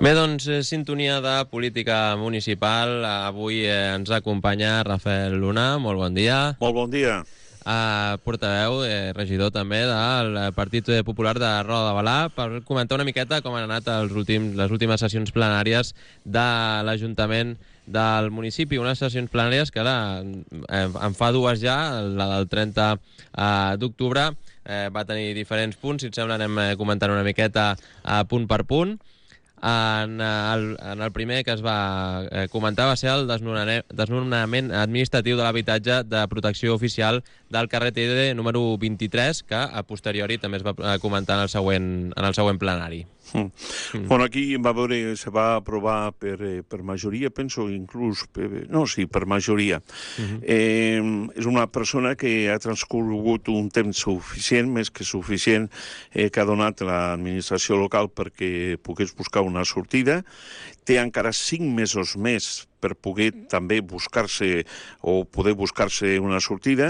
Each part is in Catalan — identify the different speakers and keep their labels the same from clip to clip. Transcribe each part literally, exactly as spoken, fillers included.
Speaker 1: Bé, doncs, sintonia de política municipal. Avui eh, ens acompanya Rafael Luna. Molt bon dia.
Speaker 2: Molt bon dia.
Speaker 1: Uh, portaveu, eh, regidor també del Partit Popular de Roda de Berà, per comentar una miqueta com han anat els últims, les últimes sessions plenàries de l'Ajuntament del municipi. Unes sessions plenàries que ara eh, en fa dues ja, la del trenta d'octubre, eh, va tenir diferents punts. Si et sembla anem comentant una miqueta eh, punt per punt. En el, en el primer que es va eh, comentar va ser el desnonament administratiu de l'habitatge de protecció oficial del carrer Tede número vint-i-tres, que a posteriori també es va comentar en el següent, en el següent plenari.
Speaker 2: Mm. Mm. Bueno, aquí va veure, se va aprovar per, eh, per majoria, penso, inclús, per, no, sí, per majoria. Uh-huh. eh, és una persona que ha transcorregut un temps suficient, més que suficient, eh, que ha donat l'administració local perquè pogués buscar una sortida. Té encara cinc mesos més per poder també buscar-se o poder buscar-se una sortida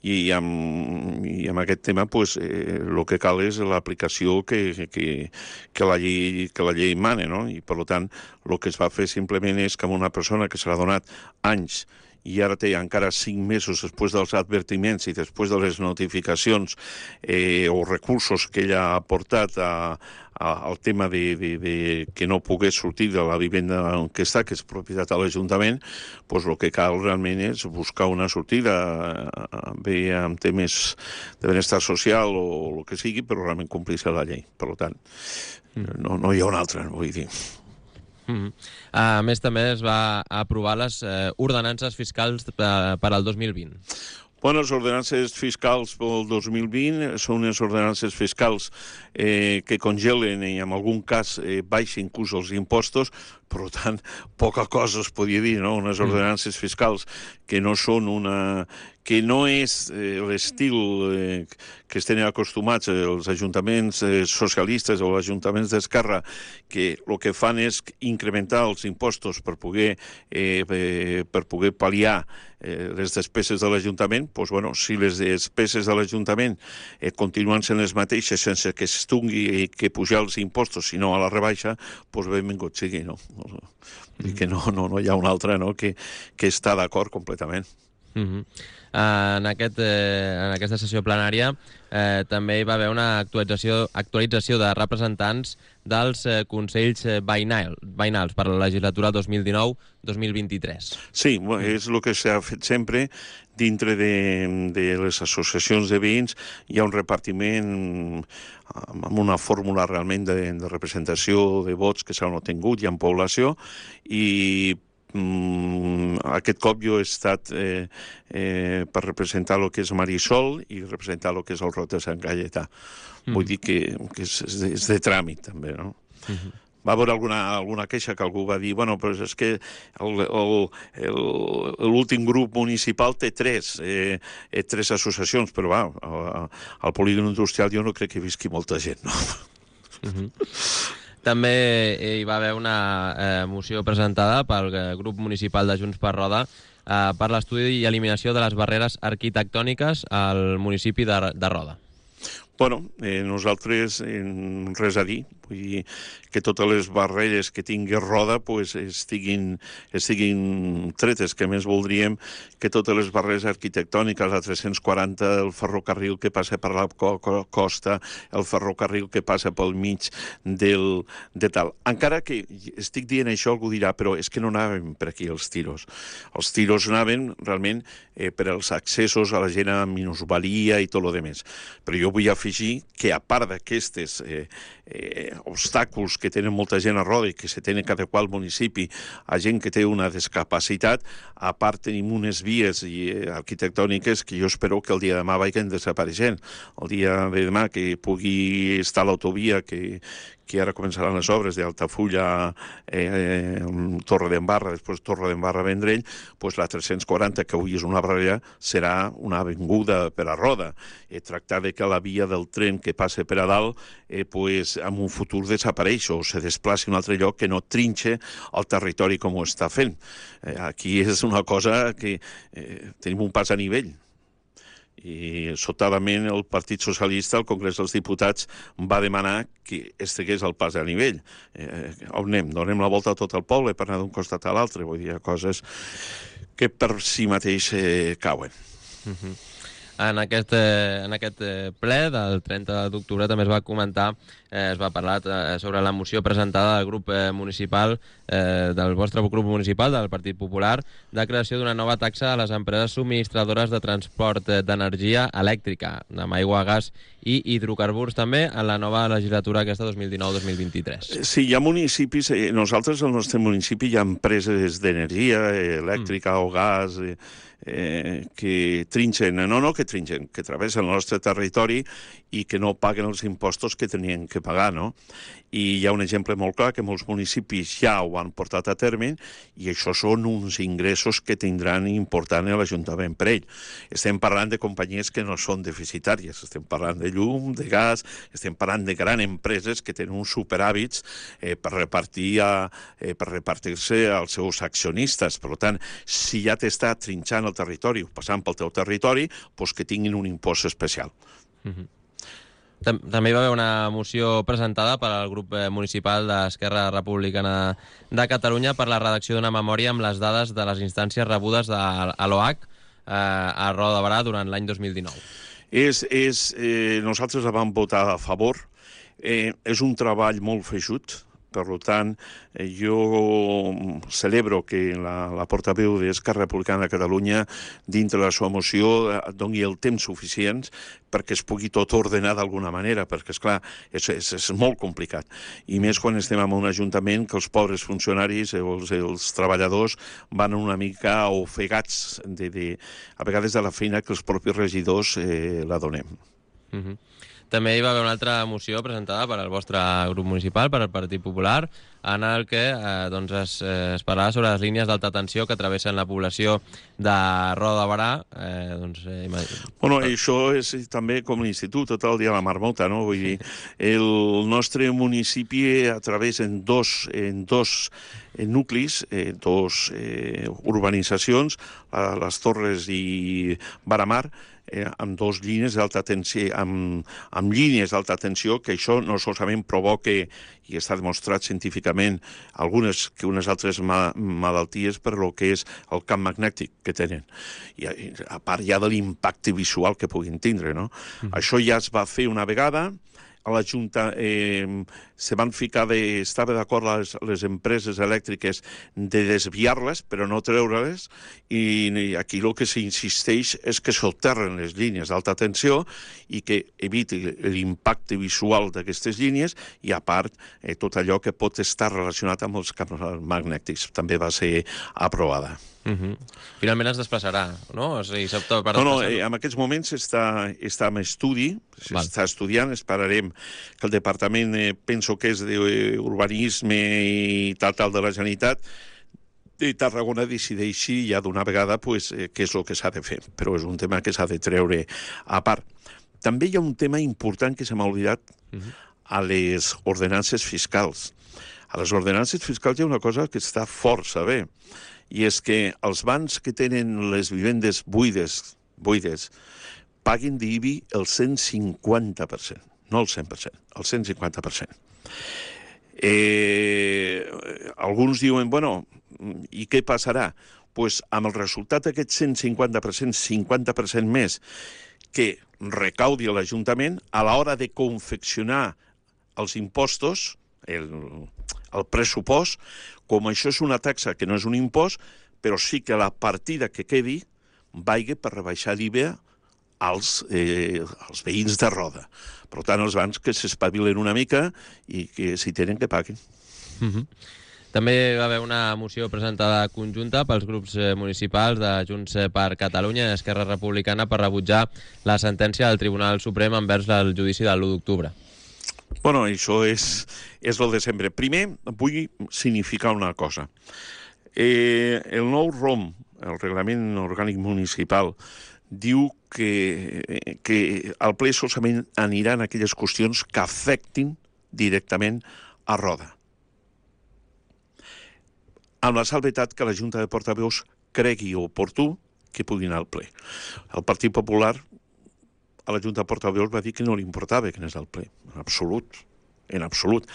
Speaker 2: i amb, i amb aquest tema pues, eh, el que cal és l'aplicació que, que, que, la llei, que la llei mana, no? I per tant el que es va fer simplement és que una persona que se l'ha donat anys i ara té encara cinc mesos després dels advertiments i després de les notificacions eh, o recursos que ella ha aportat a, a, al tema de, de, de que no pogués sortir de la vivenda en què està, que és propietat de l'Ajuntament, doncs el que cal realment és buscar una sortida bé amb temes de benestar social o el que sigui, però realment complir-se la llei. Per tant, no, no hi ha una altra, vull dir.
Speaker 1: Mm-hmm. A més, també es va aprovar les eh, ordenances fiscals per, per al dos mil vint.
Speaker 2: Bueno, les ordenances fiscals pel dos mil vint són unes ordenances fiscals eh, que congelen i en algun cas eh, baixen inclús els impostos, per tant, poca cosa es podia dir, no? Unes ordenances fiscals que no són una... que no és eh, l'estil eh, que estem acostumats els ajuntaments eh, socialistes o els ajuntaments d'Esquerra, que el que fan és incrementar els impostos per poder, eh, eh, per poder pal·liar eh, les despeses de l'Ajuntament. Doncs, bueno, si les despeses de l'Ajuntament eh, continuen sent les mateixes sense que es tingui que pujar els impostos, sinó a la rebaixa, doncs benvingut sigui, no? I que no, no, no hi ha una altra, no?, que, que està d'acord completament.
Speaker 1: Uh-huh. Uh, en, aquest, eh, en aquesta sessió plenària eh, també hi va haver una actualització, actualització de representants dels eh, consells eh, veïnal, veïnals per a la legislatura dos mil dinou dos mil vint-i-tres.
Speaker 2: Sí, és el que s'ha fet sempre. Dintre de, de les associacions de veïns hi ha un repartiment amb una fórmula realment de, de representació de vots que s'han obtingut, hi ha població, i Mm, aquest cop jo he estat eh, eh, per representar el que és Marisol i representar el que és el Rot de Sant Gaietà. Mm. Vull dir que, que és, és, de, és de tràmit, també, no? Mm-hmm. Va haver alguna, alguna queixa que algú va dir bueno, però és que l'últim grup municipal té tres, eh, eh, tres associacions, però va, al, al polígon industrial jo no crec que visqui molta gent, no?
Speaker 1: Mm-hmm. També hi va haver una eh, moció presentada pel grup municipal de Junts per Roda eh, per l'estudi i eliminació de les barreres arquitectòniques al municipi de, de Roda.
Speaker 2: Bueno, eh, nosaltres eh, res a dir, vull dir que totes les barreres que tingui Roda pues, estiguin, estiguin tretes, que més voldríem que totes les barreres arquitectòniques, la tres-cents quaranta, el ferrocarril que passa per la costa, el ferrocarril que passa pel mig del, de tal. Encara que estic dient això, algú dirà, però és que no anàvem per aquí els tiros. Els tiros anaven realment eh, per als accessos a la gent amb minusvalia i tot el demés. Però jo vull afegir que a part d'aquestes eh, eh, obstacles que tenen molta gent a Roda i que se tenen que adequar al municipi a gent que té una discapacitat, a part tenim unes vies i, eh, arquitectòniques que jo espero que el dia de demà vagin desapareixent. El dia de demà que pugui estar l'autovia que, que ara començaran les obres d'Altafulla, eh, Torre d'Embarra, després Torre d'Embarra Vendrell, doncs la tres-cents quaranta, que avui és una barrera, serà una avinguda per a Roda. Eh, tractar de que la via del tren que passa per a dalt, eh, pues, en un futur desapareix o se desplaci a un altre lloc que no trinxe el territori com ho està fent. Eh, aquí és una cosa que eh, tenim un pas a nivell. I, sobtadament, el Partit Socialista, al Congrés dels Diputats, va demanar que estigués al pas a nivell. Eh, on anem? Donem la volta a tot el poble per anar d'un costat a l'altre. Vull dir, coses que per si mateix eh, cauen.
Speaker 1: Uh-huh. En aquest, eh, en aquest eh, ple del trenta d'octubre també es va comentar, eh, es va parlar eh, sobre la moció presentada del grup eh, municipal, eh, del vostre grup municipal, del Partit Popular, de creació d'una nova taxa a les empreses subministradores de transport eh, d'energia elèctrica, amb aigua, gas i hidrocarburs també, en la nova legislatura aquesta dos mil dinou dos mil vint-i-tres.
Speaker 2: Sí, hi ha municipis, eh, nosaltres al nostre municipi hi ha empreses d'energia eh, elèctrica mm. o gas... Eh, Eh, que trinxen, no, no que trinxen, que travessen el nostre territori i que no paguen els impostos que tenien que pagar, no? I hi ha un exemple molt clar que molts municipis ja ho han portat a terme i això són uns ingressos que tindran important l'Ajuntament per ell. Estem parlant de companyies que no són deficitàries, estem parlant de llum, de gas, estem parlant de grans empreses que tenen uns superhàbits eh, per repartir a, eh, per repartir-se als seus accionistes. Per tant, si ja t'està trinxant el territori, passant pel teu territori, doncs que tinguin un impost especial.
Speaker 1: Mm-hmm. També hi va haver una moció presentada per al grup municipal d'Esquerra Republicana de Catalunya per la redacció d'una memòria amb les dades de les instàncies rebudes de l'O H eh, a Roda de Barà durant l'any dos mil dinou.
Speaker 2: És, és, eh, nosaltres la vam votar a favor. Eh, és un treball molt feixut. Per tant, jo celebro que la, la portaveu d'Esquerra Republicana de Catalunya, dintre de la seva moció, doni el temps suficient perquè es pugui tot ordenar d'alguna manera, perquè, esclar, és, és, és molt complicat. I més quan estem en un ajuntament que els pobres funcionaris, els, els treballadors, van una mica ofegats, de, de, a vegades de la feina que els propis regidors eh, la donem.
Speaker 1: Mhm. També hi va haver una altra moció presentada per al vostre grup municipal, per al Partit Popular, en el que eh, doncs es, eh, es parlava sobre les línies d'alta tensió que travessen la població de Roda de Barà. Eh, doncs, eh,
Speaker 2: bueno, això és també com l'institut, tot el dia a la marmota, no? Vull dir, el nostre municipi a través en dos, en dos en nuclis, eh, dos eh, urbanitzacions, eh, les Torres i Baramar, eh, amb dos línies d'alta tensió, amb, amb línies d'alta tensió, que això no solament provoca, i està demostrat científicament, algunes que unes altres ma malalties per lo que és el camp magnètic que tenen. I a part ja de l'impacte visual que puguin tindre, no? Mm. Això ja es va fer una vegada, a la Junta eh, se van ficar de... Estava d'acord les, les empreses elèctriques de desviar-les, però no treure-les, i aquí el que s'insisteix és que soterren les línies d'alta tensió i que eviti l'impacte visual d'aquestes línies i, a part, eh, tot allò que pot estar relacionat amb els camps magnètics. També va ser aprovada.
Speaker 1: Uh-huh. Finalment es desplaçarà, no? O sigui, per
Speaker 2: no, no, eh, en aquests moments està, està en estudi, s'està estudiant, esperarem que el Departament, eh, penso que és d'Urbanisme i tal, tal de la Generalitat, de Tarragona decideixi ja d'una vegada pues, eh, què és el que s'ha de fer, però és un tema que s'ha de treure a part. També hi ha un tema important que se m'ha oblidat uh-huh. a les ordenances fiscals. A les ordenances fiscals hi ha una cosa que està força bé, i és que els bancs que tenen les vivendes buides, buides paguin d'I B I el cent cinquanta per cent, no el cent per cent, el cent cinquanta per cent. Eh, alguns diuen, bueno, i què passarà? Doncs pues, amb el resultat d'aquest cent cinquanta per cent, cinquanta per cent més que recaudi a l'Ajuntament, a l'hora de confeccionar els impostos, el, el pressupost, com això és una taxa que no és un impost, però sí que la partida que quedi vagi per rebaixar l'I V A als, eh, als veïns de Roda. Per tant, els bancs que s'espavilen una mica i que si tenen que paguin.
Speaker 1: Mm-hmm. També va haver una moció presentada conjunta pels grups municipals de Junts per Catalunya i Esquerra Republicana per rebutjar la sentència del Tribunal Suprem envers el judici de l'u d'octubre.
Speaker 2: Bueno, això és, és el de sempre. Primer, vull significar una cosa. Eh, el nou R O M, el Reglament Orgànic Municipal, diu que, que el ple solament anirà en aquelles qüestions que afectin directament a Roda. Amb la salvetat que la Junta de Portaveus cregui oportú que pugui anar al ple. El Partit Popular a la Junta de Portaveus va dir que no li importava que anés al ple, en absolut, en absolut.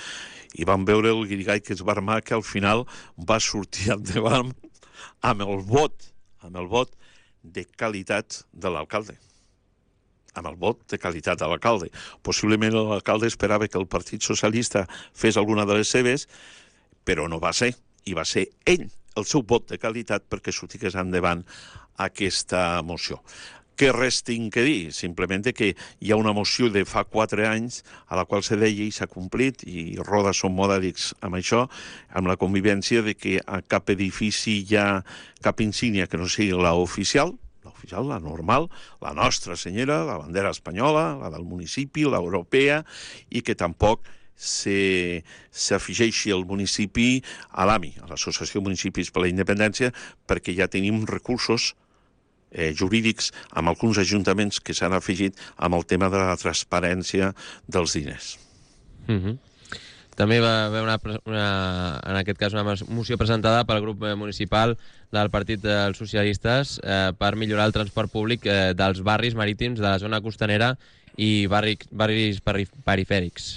Speaker 2: I vam veure el guirigall que es va armar, que al final va sortir endavant amb el vot, amb el vot de qualitat de l'alcalde. Amb el vot de qualitat de l'alcalde. Possiblement l'alcalde esperava que el Partit Socialista fes alguna de les seves, però no va ser. I va ser ell, el seu vot de qualitat, perquè sortigués endavant aquesta moció. Què res tinc que dir? Simplement que hi ha una moció de fa quatre anys a la qual se deia i s'ha complit, i Roda són modèlics amb això, amb la convivència de que a cap edifici hi ha cap insígnia que no sigui la oficial, l'oficial, la normal, la nostra senyora, la bandera espanyola, la del municipi, l'europea, i que tampoc s'afegeixi el municipi a l'A M I, a l'Associació de Municipis per la Independència, perquè ja tenim recursos Eh, jurídics amb alguns ajuntaments que s'han afegit amb el tema de la transparència dels diners.
Speaker 1: Mm-hmm. També va haver una, una, en aquest cas una moció presentada pel grup municipal del Partit dels Socialistes eh, per millorar el transport públic eh, dels barris marítims de la zona costanera i barri, barris perifèrics.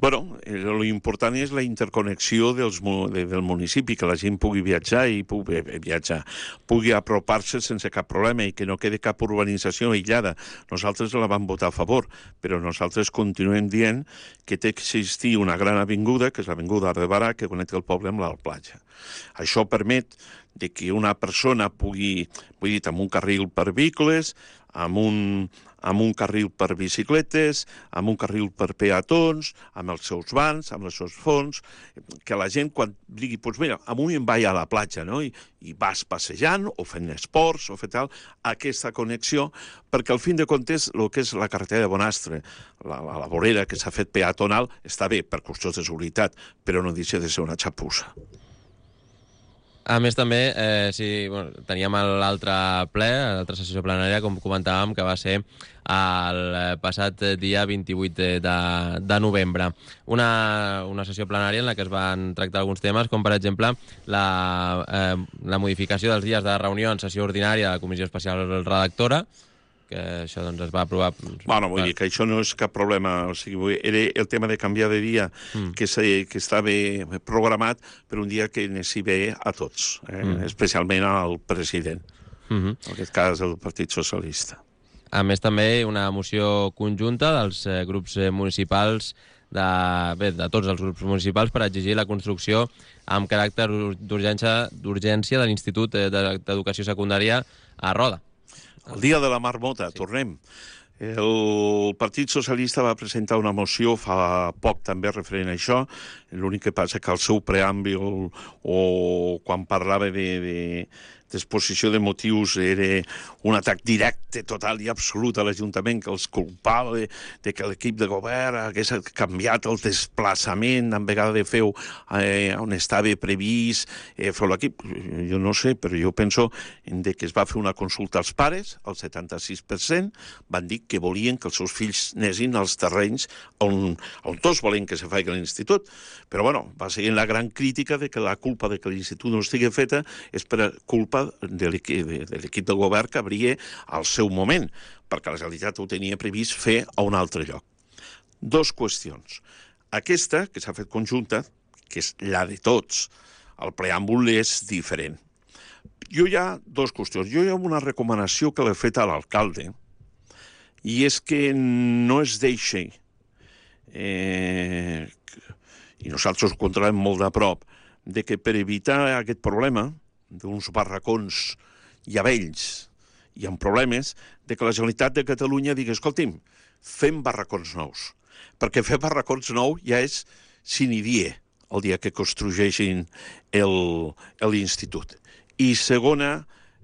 Speaker 2: Bueno, l'important és la interconnexió dels, de, del municipi, que la gent pugui viatjar i pugui viatjar, pugui apropar-se sense cap problema i que no quedi cap urbanització aïllada. Nosaltres la vam votar a favor, però nosaltres continuem dient que té que existir una gran avinguda, que és l'avinguda de Barà, que connecta el poble amb la platja. Això permet de que una persona pugui, vull dir, amb un carril per vehicles, amb un, amb un carril per bicicletes, amb un carril per peatons, amb els seus vans, amb els seus fons, que la gent quan digui, doncs mira, avui em vaig a la platja, no? I, i vas passejant o fent esports o fet tal, aquesta connexió, perquè al fin de comptes el que és la carretera de Bonastre, la, la, la vorera que s'ha fet peatonal, està bé per qüestions de seguretat, però no deixa de ser una xapussa.
Speaker 1: A més, també, eh, sí, bueno, teníem l'altre ple, l'altra sessió plenària, com comentàvem, que va ser el passat dia vint-i-vuit de, de novembre. Una, una sessió plenària en la que es van tractar alguns temes, com per exemple la, eh, la modificació dels dies de reunió en sessió ordinària de la Comissió Especial Redactora, que això doncs, es va aprovar...
Speaker 2: Bueno, vull dir que això no és cap problema. O sigui, era el tema de canviar de dia mm. que, se, que estava programat per un dia que anessi bé a tots, eh? mm. especialment al president, mm-hmm. en aquest cas el Partit Socialista.
Speaker 1: A més, també una moció conjunta dels eh, grups municipals, de, bé, de tots els grups municipals, per exigir la construcció amb caràcter d'urgència de l'Institut d'Educació Secundària a Roda.
Speaker 2: El dia de la marmota, sí. Tornem. El Partit Socialista va presentar una moció fa poc també referent a això, l'únic que passa que el seu preàmbul o quan parlava de, de d'exposició de motius era un atac directe, total i absolut a l'Ajuntament, que els culpava de, de que l'equip de govern hagués canviat el desplaçament en vegada de fer eh, on estava previst eh, fer l'equip. Jo no sé, però jo penso de que es va fer una consulta als pares, el setanta-sis per cent van dir que volien que els seus fills anessin als terrenys on, on tots volen que se faci l'institut. Però bueno, va seguir la gran crítica de que la culpa de que l'institut no estigui feta és per culpa de l'equip del govern que hauria al seu moment, perquè la Generalitat ho tenia previst fer a un altre lloc. Dos qüestions. Aquesta, que s'ha fet conjunta, que és la de tots, el preàmbul és diferent. Jo hi ha dues qüestions. Jo hi ha una recomanació que l'he fet a l'alcalde, i és que no es deixi, eh, i nosaltres ho controlem molt de prop, de que per evitar aquest problema d'uns barracons ja vells i amb problemes, de que la Generalitat de Catalunya digui, escolti'm, fem barracons nous. Perquè fer barracons nous ja és sine die, el dia que construeixin l'institut. I segona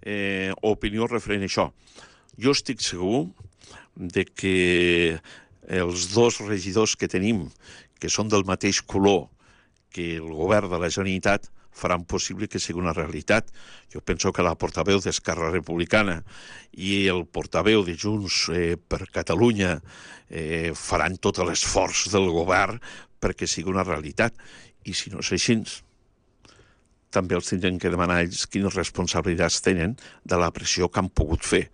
Speaker 2: eh, opinió referent a això. Jo estic segur de que els dos regidors que tenim, que són del mateix color que el govern de la Generalitat, faran possible que sigui una realitat. Jo penso que la portaveu d'Esquerra Republicana i el portaveu de Junts eh, per Catalunya eh, faran tot l'esforç del govern perquè sigui una realitat. I si no és així, també els tindrem que demanar ells quines responsabilitats tenen de la pressió que han pogut fer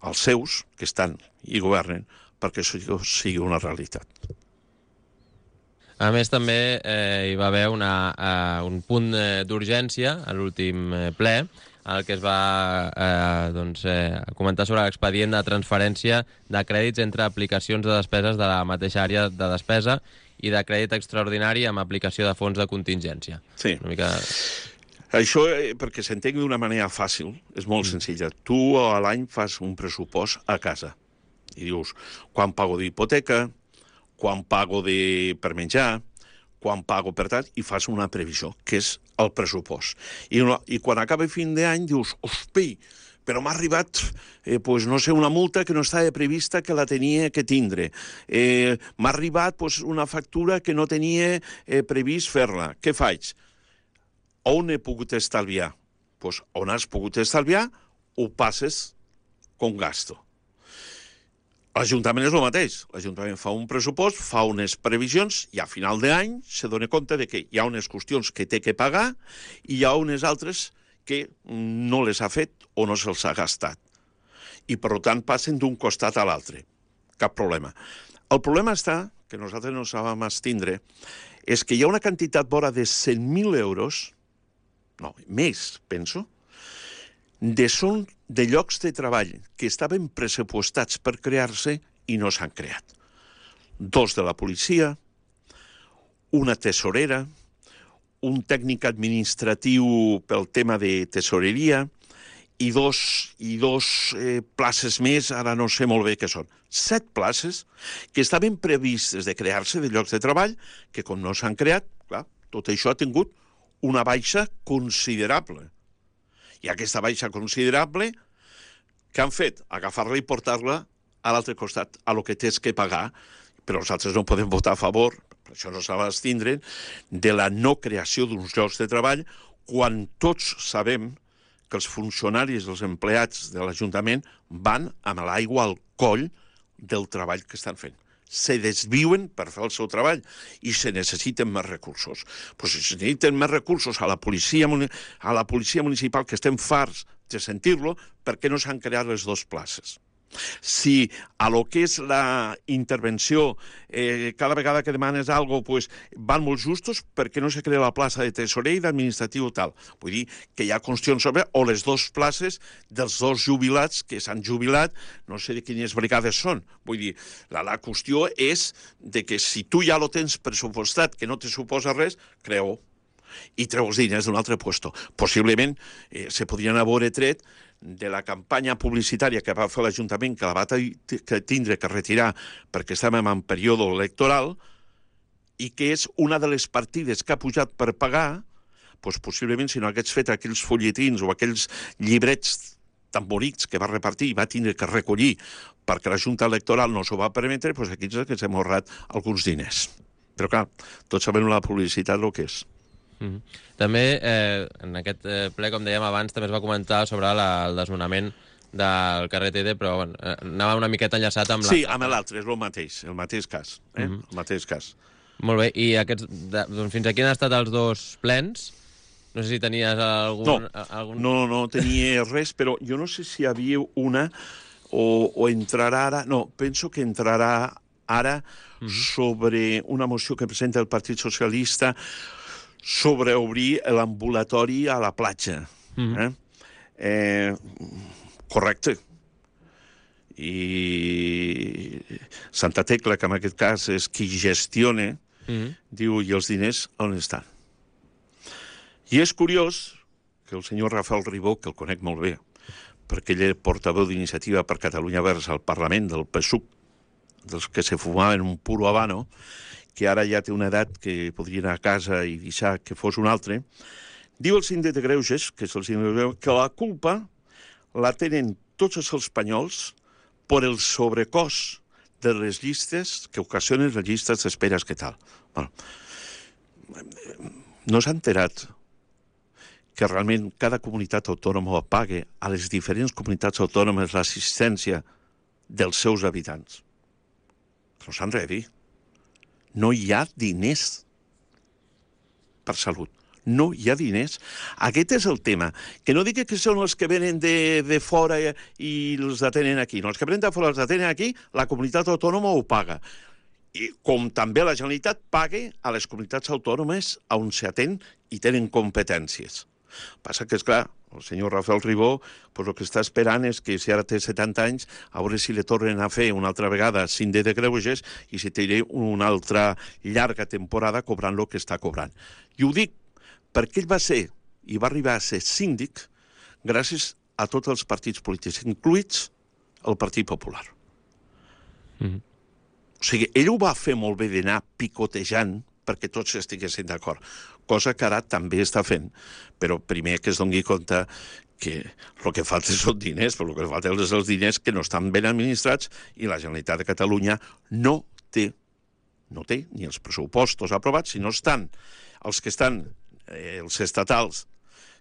Speaker 2: als seus, que estan i governen, perquè això sigui una realitat.
Speaker 1: A més, també eh, hi va haver una, eh, un punt eh, d'urgència a l'últim eh, ple, el que es va eh, doncs, eh, comentar sobre l'expedient de transferència de crèdits entre aplicacions de despeses de la mateixa àrea de despesa i de crèdit extraordinari amb aplicació de fons de contingència.
Speaker 2: Sí.
Speaker 1: Una mica...
Speaker 2: Això, eh, perquè s'entengui d'una manera fàcil, és molt mm. senzilla. Tu a l'any fas un pressupost a casa i dius quan pago d'hipoteca, quan pago de... per menjar, quan pago per tant, i fas una previsió, que és el pressupost. I, no, i quan acaba fin d'any dius, hosti, però m'ha arribat, eh, pues, no sé, una multa que no estava prevista que la tenia que tindre. Eh, m'ha arribat pues, una factura que no tenia eh, previst fer-la. Què faig? On he pogut estalviar? Pues, on has pogut estalviar, ho passes com gasto. L'Ajuntament és el mateix. L'Ajuntament fa un pressupost, fa unes previsions i a final d'any se dona compte de que hi ha unes qüestions que té que pagar i hi ha unes altres que no les ha fet o no se'ls ha gastat. I, per tant, passen d'un costat a l'altre. Cap problema. El problema està, que nosaltres no sabem estindre, és que hi ha una quantitat vora de cent mil euros, no, més, penso, de són de llocs de treball que estaven pressupostats per crear-se i no s'han creat. Dos de la policia, una tesorera, un tècnic administratiu pel tema de tesoreria i dos, i dos eh, places més, ara no sé molt bé què són. Set places que estaven previstes de crear-se de llocs de treball que com no s'han creat, clar, tot això ha tingut una baixa considerable. I aquesta baixa considerable, què han fet? Agafar-la i portar-la a l'altre costat, a lo que tens que pagar, però nosaltres no podem votar a favor, per això no s'ha d'estindre, de la no creació d'uns llocs de treball, quan tots sabem que els funcionaris, els empleats de l'Ajuntament van amb l'aigua al coll del treball que estan fent. Se desviuen per fer el seu treball i se necessiten més recursos. Pues si se necessiten més recursos a la policia, a la policia municipal, que estem farts de sentir-lo, per què no s'han creat les dues places? Si a lo que és la intervenció, eh, cada vegada que demanes alguna cosa, pues, van molt justos, per què no se crea la plaça de tesorer i d'administratiu tal? Vull dir que hi ha qüestions sobre, o les dues places dels dos jubilats que s'han jubilat, no sé de quines brigades són. Vull dir, la, la qüestió és de que si tu ja lo tens pressupostat, que no te suposa res, creu i treu els diners d'un altre puesto. Possiblement eh, se podrien haver tret de la campanya publicitària que va fer l'Ajuntament, que la va tindre que retirar perquè estàvem en període electoral, i que és una de les partides que ha pujat per pagar, doncs possiblement si no hagués fet aquells folletins o aquells llibrets tan bonics que va repartir i va tindre que recollir perquè la Junta Electoral no s'ho va permetre, doncs aquí és que s'hem ahorrat alguns diners. Però clar, tots sabem la publicitat el que és.
Speaker 1: Mm-hmm. També eh, en aquest eh, ple, com dèiem abans, també es va comentar sobre la, el desnonament del carrer T D, però bueno, eh, anava una miqueta enllaçat amb l'altre.
Speaker 2: Sí, amb l'altre, és el mateix, el mateix cas. Eh? Mm-hmm. El mateix cas.
Speaker 1: Molt bé, i aquests, de, doncs fins aquí han estat els dos plens. No sé si tenies algun...
Speaker 2: No,
Speaker 1: algun...
Speaker 2: no, no tenia res, però jo no sé si hi havia una o, o entrarà ara... No, penso que entrarà ara mm-hmm. sobre una moció que presenta el Partit Socialista sobre obrir l'ambulatori a la platja. Mm-hmm. eh? Eh, correcte. I Santa Tecla, que en aquest cas és qui gestiona, mm-hmm. diu, i els diners on estan? I és curiós que el senyor Rafael Ribó, que el conec molt bé, perquè ell és portaveu d'Iniciativa per Catalunya Verds al Parlament del P S U C, dels que se fumaven un puro habano, que ara ja té una edat que podria anar a casa i deixar que fos un altre, diu el síndic de Greuges, que és el síndic de Greuges, que la culpa la tenen tots els espanyols per el sobrecost de les llistes que ocasionen les llistes d'esperes que tal. Bueno, no s'ha enterat que realment cada comunitat autònoma pague a les diferents comunitats autònomes l'assistència dels seus habitants. No s'han res a dir. No hi ha diners per salut. no hi ha diners. Aquest és el tema. Que no digui que són els que venen de, de fora i els atenen aquí. No, els que venen de fora els atenen aquí, la comunitat autònoma ho paga. I com també la Generalitat paga a les comunitats autònomes on s'atén i tenen competències. Passa que, és clar, el senyor Rafael Ribó pues, el que està esperant és que si ara té setanta anys, a veure si li tornen a fer una altra vegada síndic de greuges i si té una altra llarga temporada cobrant el que està cobrant. I ho dic perquè ell va ser i va arribar a ser síndic gràcies a tots els partits polítics, incluïts el Partit Popular. Mm-hmm. O sigui, ell ho va fer molt bé d'anar picotejant perquè tots estiguessin d'acord, cosa que ara també està fent, però primer que es doni compte que el que falta són diners, però el que falta és els diners que no estan ben administrats i la Generalitat de Catalunya no té, no té ni els pressupostos aprovats, sinó estan els que estan, eh, els estatals,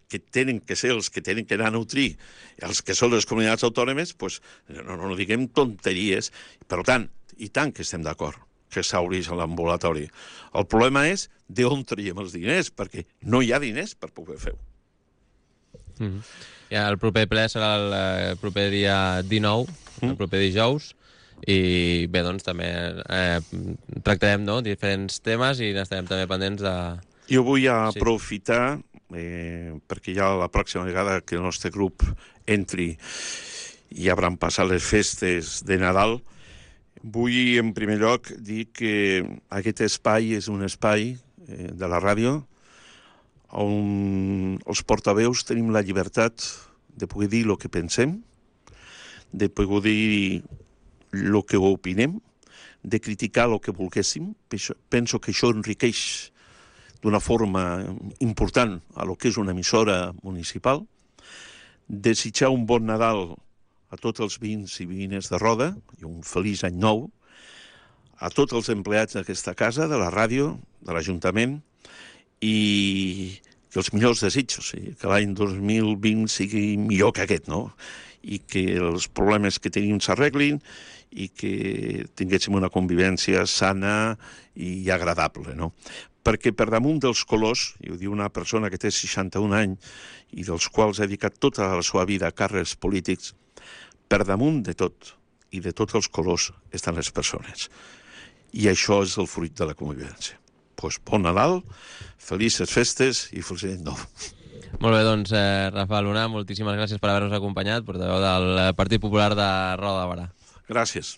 Speaker 2: que tenen que ser els que tenen que anar a nutrir, els que són les comunitats autònomes, doncs no, no diguem tonteries. Per tant, i tant que estem d'acord que s'obrís a l'ambulatori. El problema és d'on traiem els diners, perquè no hi ha diners per poder fer-ho.
Speaker 1: Mm-hmm. Ja, el proper ple serà el eh, proper dia dinou, mm. el proper dijous, i bé, doncs també eh, tractarem no, diferents temes i n'estarem també pendents de...
Speaker 2: Jo vull aprofitar, eh, perquè ja la pròxima vegada que el nostre grup entri i hauran passat les festes de Nadal, vull, en primer lloc, dir que aquest espai és un espai eh, de la ràdio on els portaveus tenim la llibertat de poder dir el que pensem, de poder dir el que opinem, de criticar el que volguéssim. Penso que això enriqueix d'una forma important a lo que és una emissora municipal. Desitjar un bon Nadal a tots els veïns i veïnes de Roda, i un feliç any nou, a tots els empleats d'aquesta casa, de la ràdio, de l'Ajuntament, i que els millors desitjos, que l'any dos mil vint sigui millor que aquest, no? I que els problemes que tenim s'arreglin i que tinguéssim una convivència sana i agradable, no? Perquè per damunt dels colors, i ho diu una persona que té seixanta-un anys i dels quals ha dedicat tota la seva vida a càrrecs polítics, per damunt de tot i de tots els colors estan les persones. I això és el fruit de la convivència. Doncs bon Nadal, felices festes i feliç any nou.
Speaker 1: Molt bé, doncs, eh, Rafael Luna, moltíssimes gràcies per haver-nos acompanyat, portaveu del Partit Popular de Roda de Berà.
Speaker 2: Gràcies.